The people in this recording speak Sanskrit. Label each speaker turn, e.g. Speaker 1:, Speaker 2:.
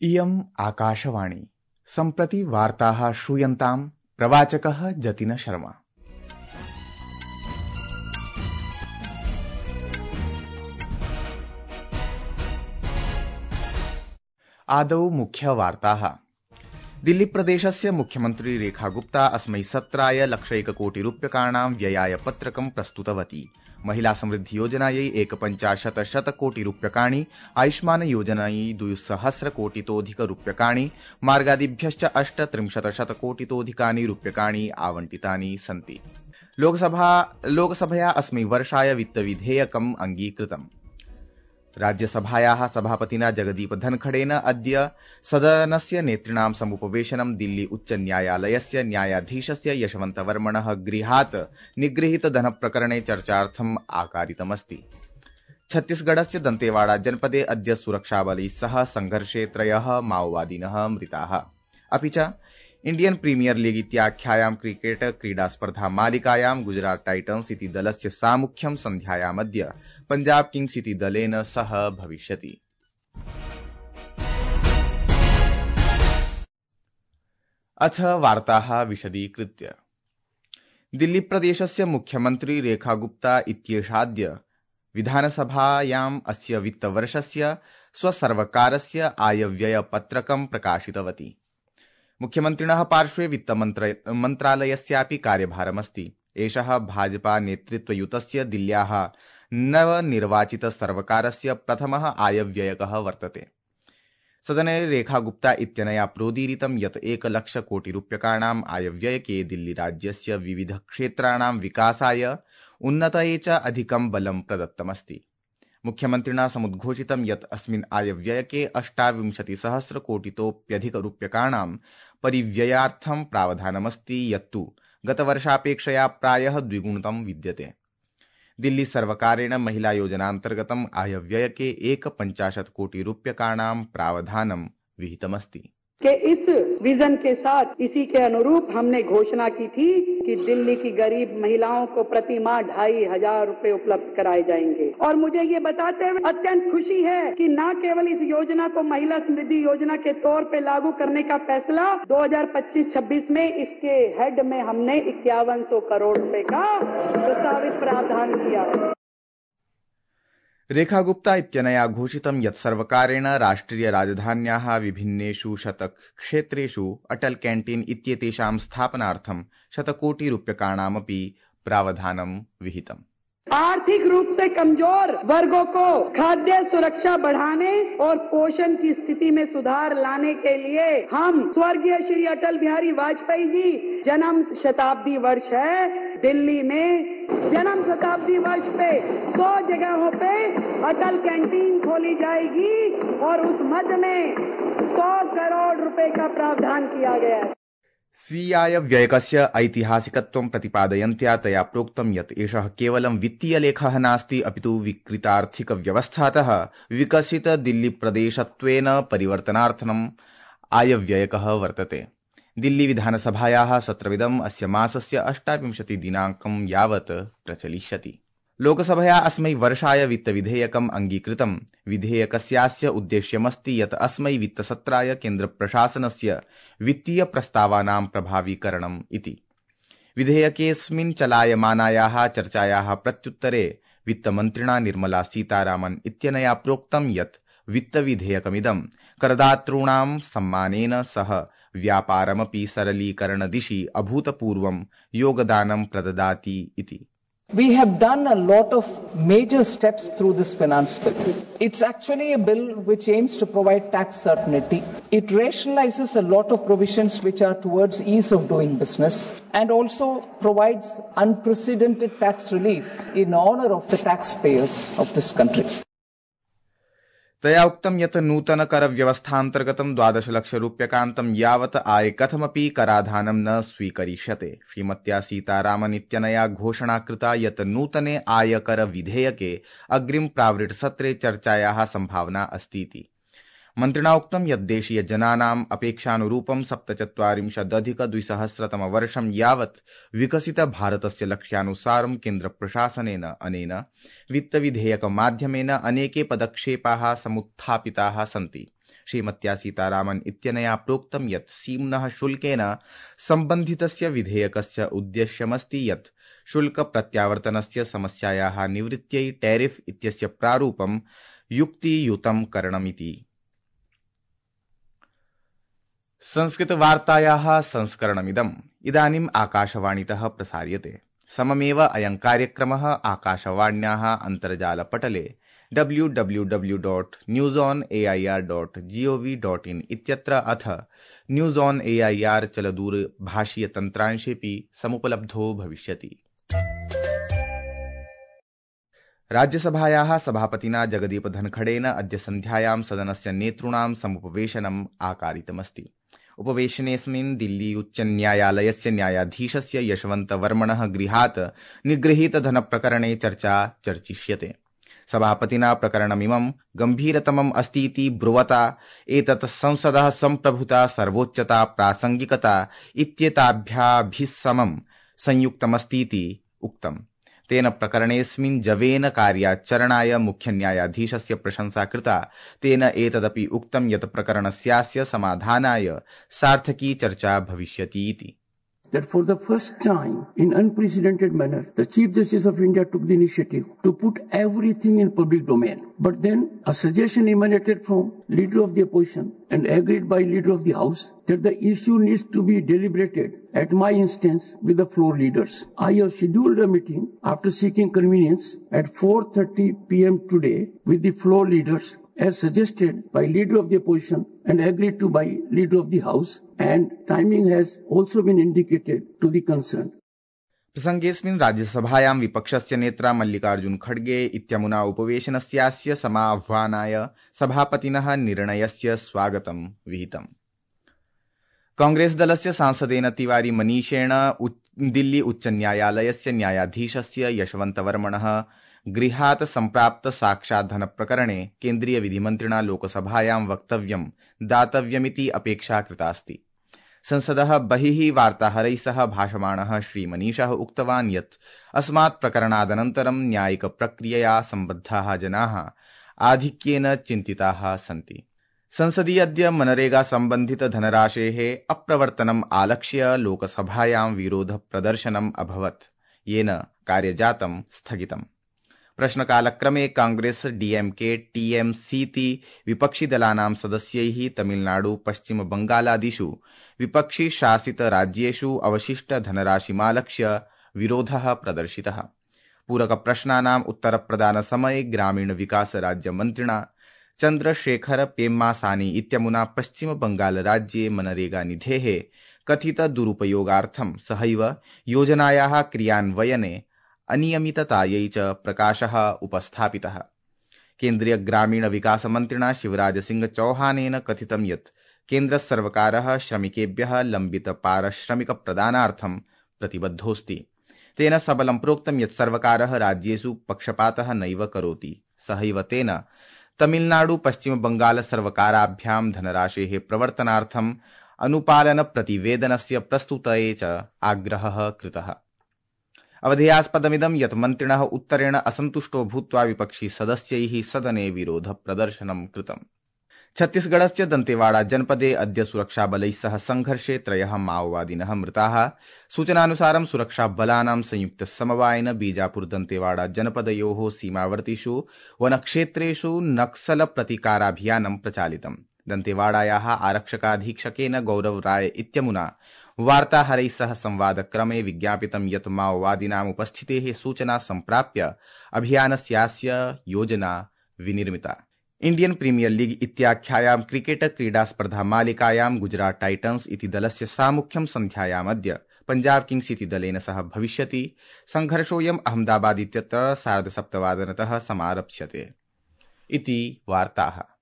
Speaker 1: इयम् आकाशवाणी सम्प्रति वार्ताः श्रूयन्ताम् प्रवाचकः जतिन शर्मा। आदौ मुख्यवार्ताः। दिल्लीप्रदेशस्य मुख्यमन्त्री रेखा गुप्ता अस्मै सत्राय 1,00,000 कोटिरूप्यकाणां व्ययाय पत्रकं प्रस्तुतवती। महिला समृद्धि योजनायै 1,50 कोटिरूप्यकाणि, आयुष्मान योजनायै 200 कोटितोऽधिकरूप्यकाणि, मार्गादिभ्यश्च 38 कोटितोऽधिकानि रूप्यकाणि आवंटितानि सन्ति। लोकसभया अस्मै वर्षाय वित्तविधेयकम् अंगीकृतम्। राज्यसभायाः सभापतिना जगदीप धनखडेन अद्य सदनस्य नेतॄणां समुपवेशनं दिल्ली उच्च न्यायालयस्य न्यायाधीशस्य यशवन्तवर्मणः गृहात् निगृहीत धनप्रकरणे चर्चार्थम् आकारितमस्ति। छत्तीसगढ़स्य दन्तेवाड़ा जनपदे अद्य सुरक्षाबलैः सह संघर्षे 3 माओवादिनः मृताः। अपि च इंडियन प्रीमियर लीग इत्याख्यायां क्रिकेट क्रीडास्पर्धा मालिकायां गुजरात टाइटन्स इति दलस्य सामुख्यं सन्ध्यायामद्य पंजाब किंग्स इति दलेन सह भविष्यति। अथ वार्ताः विशदीकृत्य। दिल्लीप्रदेशस्य मुख्यमन्त्री रेखा गुप्ता इत्येषाद्य विधानसभायाम् अस्य वित्तवर्षस्य स्वसर्वकारस्य आयव्ययपत्रकं प्रकाशितवती। मुख्यमन्त्रिणः पार्श्वे वित्तमन्त्रालयस्यापि कार्यभारमस्ति। एषः भाजपा नेतृत्वयुतस्य दिल्ल्याः नवनिर्वाचित सर्वकारस्य प्रथमः आयव्ययकः वर्तते। सदने रेखा गुप्ता इत्यनया प्रोदीरितं यत् 1,00,000 कोटिरूप्यकाणाम् आयव्ययके दिल्लीराज्यस्य विविधक्षेत्राणां विकासाय उन्नतये च अधिकं बलं प्रदत्तमस्ति। मुख्यमन्त्रिणा समुद्घोषितं यत् अस्मिन् आयव्ययके 28,000 कोटितोऽप्यधिकरूप्यकाणां परिव्ययार्थं प्रावधानमस्ति, यत्तु गतवर्षापेक्षया प्रायः द्विगुणितं विद्यते। दिल्ली सर्वकारेण महिला योजनान्तर्गतम् आयव्ययके 1,50 कोटिरूप्यकाणां प्रावधानं विहितमस्ति।
Speaker 2: कि इस विजन के साथ इसी के अनुरूप हमने घोषणा की थी कि दिल्ली की गरीब महिलाओं को प्रति माह 2,500 रुपए उपलब्ध कराए जाएंगे। और मुझे ये बताते हुए अत्यंत खुशी है कि न केवल इस योजना को महिला समृद्धि योजना के तौर पे लागू करने का फैसला 2025-26 में इसके हेड में हमने 5,100 करोड़ रुपए का प्रस्तावित प्रावधान किया है।
Speaker 1: रेखा गुप्ता इत्यनया घोषितं यत् सर्वकारेण राष्ट्रिय राजधान्याः विभिन्नेषु क्षेत्रेषु अटल कैंटीन इत्येतेषां स्थापनार्थं 100 कोटिरूप्यकाणामपि प्रावधानं विहितम्।
Speaker 2: आर्थिक रूप से कमजोर वर्गों को खाद्य सुरक्षा बढ़ाने और पोषण की स्थिति में सुधार लाने के लिए हम स्वर्गीय श्री अटल बिहारी वाजपेयी जी जन्म शताब्दी वर्ष है, दिल्ली में जन्म शताब्दी वर्ष पे 100 जगहों पे अटल कैंटीन खोली जाएगी और उस मद में 100 करोड़ रुपए का प्रावधान किया गया है।
Speaker 1: स्वीयाय व्ययकस्य ऐतिहासिकत्वं प्रतिपादयन्त्या तया प्रोक्तं यत् एषः केवलं वित्तीयलेखः नास्ति, अपितु विकृतार्थिकव्यवस्थातः विकसित दिल्लीप्रदेशत्वेन परिवर्तनार्थम् आयव्ययकः वर्तते। दिल्ली विधानसभायाः सत्रमिदम् अस्य मासस्य 28 दिनाङ्कं यावत् प्रचलिष्यति। लोकसभया अस्मै वर्षाय वित्तविधेयकम् अंगीकृतम्। विधेयकस्यास्य उद्देश्यमस्ति यत् अस्मै वित्तसत्राय केन्द्रप्रशासनस्य वित्तीय प्रस्तावानां प्रभावीकरणम् इति। विधेयकेऽस्मिन् चलायमानायाः चर्चायाः प्रत्युत्तरे वित्तमन्त्रिणा निर्मला सीतारामन् इत्यनया प्रोक्तं यत् वित्तविधेयकमिदं करदातॄणां सम्मानेन सह व्यापारमपि सरलीकरणदिशि अभूतपूर्वं योगदानं प्रददाति इति।
Speaker 3: We have done a lot of major steps through this finance bill. It's actually a bill which aims to provide tax certainty. It rationalizes a lot of provisions which are towards ease of doing business and also provides unprecedented tax relief in honor of the taxpayers of this country.
Speaker 1: तया उक्तं यत् नूतन कर व्यवस्थान्तर्गतं 12 लाख रूप्यकान्तं यावत् आय कथमपि कराधानं न स्वीकरिष्यते। श्रीमत्या सीतारामन् इत्यनया घोषणा कृता यत् नूतने आयकर विधेयके अग्रिम प्रावृट् सत्रे चर्चायाः संभावना अस्ति इति। मन्त्रिणा उक्तं यत् देशीय जनानाम् अपेक्षानुरूपं 47,200 वर्षं यावत् विकसित भारतस्य लक्ष्यानुसारं केन्द्रप्रशासनेन अनेन वित्तविधेयकमाध्यमेन अनेके पदक्षेपाः समुत्थापिताः सन्ति। श्रीमत्या सीतारामन इत्यनया प्रोक्तं यत् सीम्नः शुल्केन सम्बन्धितस्य विधेयकस्य उद्देश्यमस्ति यत् शुल्क प्रत्यावर्तनस्य समस्यायाः निवृत्त्यै टैरिफ इत्यस्य प्रारूपं युक्तियुतं करणमिति। संस्कृतवार्तायाः संस्करणमिदम् इदानीम् आकाशवाणीतः प्रसार्यते। सममेव अयं कार्यक्रमः आकाशवाण्याः अन्तर्जालपटले www.newsonair.gov.in इत्यत्र अथ न्यूज़ ऑन AIR चलदूरभाषीयतन्त्रांशेऽपि समुपलब्धो भविष्यति। राज्यसभायाः सभापतिना जगदीप धनखडेन अद्य सन्ध्यायां सदनस्य नेतॄणां समुपवेशनम् आकारितमस्ति। उपवेशनेऽस्मिन् दिल्ली उच्चन्यायालयस्य न्यायाधीशस्य यशवन्तवर्मणः गृहात् निगृहीतधनप्रकरणे चर्चा चर्चिष्यते। सभापतिना प्रकरणमिमं गम्भीरतमम् अस्तीति ब्रुवता एतत् संसदः सम्प्रभुता सर्वोच्चता प्रासङ्गिकता इत्येताभ्याभिसमं संयुक्तमस्तीति उक्तम्। तेन प्रकरणेऽस्मिन् जवेन कार्याचरणाय मुख्यन्यायाधीशस्य प्रशंसा कृता। तेन एतदपि उक्तं यत् प्रकरणस्यास्य समाधानाय सार्थकी चर्चा भविष्यति इति।
Speaker 4: That for the first time in unprecedented manner, the Chief Justice of India took the initiative to put everything in public domain. But then a suggestion emanated from Leader of the Opposition and agreed by Leader of the House that the issue needs to be deliberated at my instance with the floor leaders. I have scheduled a meeting after seeking convenience at 4:30 p.m. today with the floor leaders as suggested by Leader of the Opposition and agreed to by Leader of the House, and timing has also been indicated to the concerned.
Speaker 1: प्रसङ्गेऽस्मिन् राज्यसभायां विपक्षस्य नेत्रा मल्लिकार्जुन खड्गे इत्यमुना उपवेशनस्यास्य समाह्वानाय सभापतिनः निर्णयस्य स्वागतं विहितम्। कांग्रेस दलस्य सांसदेन तिवारी मनीषेण दिल्ली उच्चन्यायालयस्य न्यायाधीशस्य यशवन्तवर्मणः गृहात् सम्प्राप्त साक्षात् धनप्रकरणे केन्द्रीय विधिमन्त्रिणा लोकसभायां वक्तव्यं दातव्यमिति अपेक्षा कृतास्ति। संसदः बहिः वार्ताहरैः सह भाषमाणः श्रीमनीषः उक्तवान् यत् अस्मात् प्रकरणादनन्तरं न्यायिकप्रक्रियया सम्बद्धाः जनाः आधिक्येन चिन्तिताः सन्ति। संसदि अद्य मनरेगा सम्बन्धित धनराशेः अप्रवर्तनम् आलक्ष्य लोकसभायां विरोधप्रदर्शनम् अभवत्, येन कार्यजातं स्थगितम्। प्रश्नकालक्रमे कांग्रेस डीएमके टीएमसीति विपक्षिदलानां सदस्यैः तमिलनाडु पश्चिम बंगालादिषु विपक्षि शासित राज्येषु अवशिष्ट धनराशिमालक्ष्य विरोधः प्रदर्शितः। पूरकप्रश्नानाम् उत्तरप्रदानसमये ग्रामीण विकास राज्यमन्त्रिणा चन्द्रशेखर पेम्मासानी इत्यमुना पश्चिम बंगाल राज्ये मनरेगा निधेः कथित दुरुपयोगार्थं सहैव योजनायाः क्रियान्वयने अनियमिततायै च प्रकाशः उपस्थापितः। केन्द्रीय ग्रामीण विकास मन्त्रिणा शिवराज सिंह चौहानेन कथितं यत् केन्द्र सर्वकारः श्रमिकेभ्यः लम्बित पारिश्रमिक प्रदानार्थं प्रतिबद्धोऽस्ति। तेन सबलं प्रोक्तं यत् सर्वकारः राज्येषु पक्षपातः नैव करोति। सहैव तेन तमिलनाडु पश्चिम बंगाल सर्वकाराभ्यां धनराशेः प्रवर्तनार्थं अनुपालन प्रतिवेदनस्य प्रस्तुतये च आग्रहः कृतः। अवधेयास्पदमिदं यत् मन्त्रिणः उत्तरेण असन्तुष्टो भूत्वा विपक्षी सदस्यैः सदने विरोध प्रदर्शनं कृतम्। छत्तीसगढ़स्य दन्तेवाड़ा जनपदे अद्य सुरक्षाबलैः सह संघर्षे 3 माओवादिनः मृताः। सूचनानुसारं सुरक्षाबलानां संयुक्तसमवायेन बीजापुर दन्तेवाड़ा जनपदयोः सीमावर्तिषु वनक्षेत्रेषु नक्सल प्रतिकाराभियानं प्रचालितम्। दन्तेवाड़ायाः आरक्षकाधीक्षकेन गौरव राय इत्यमुना वार्ताहरैः सह संवादक्रमे विज्ञापितं यत् माओवादिनाम् उपस्थितेः सूचना सम्प्राप्य अभियानस्यास्य योजना विनिर्मिता। इंडियन प्रीमियर लीग इत्याख्यायां क्रिकेट क्रीडास्पर्धा मालिकायां गुजरात टाइटन्स इति दलस्य सामुख्यं सन्ध्यायामद्य पंजाब किंग्स इति दलेन सह भविष्यति। संघर्षोऽयम् अहमदाबाद इत्यत्र 7:30 समारप्स्यते इति वार्ताः।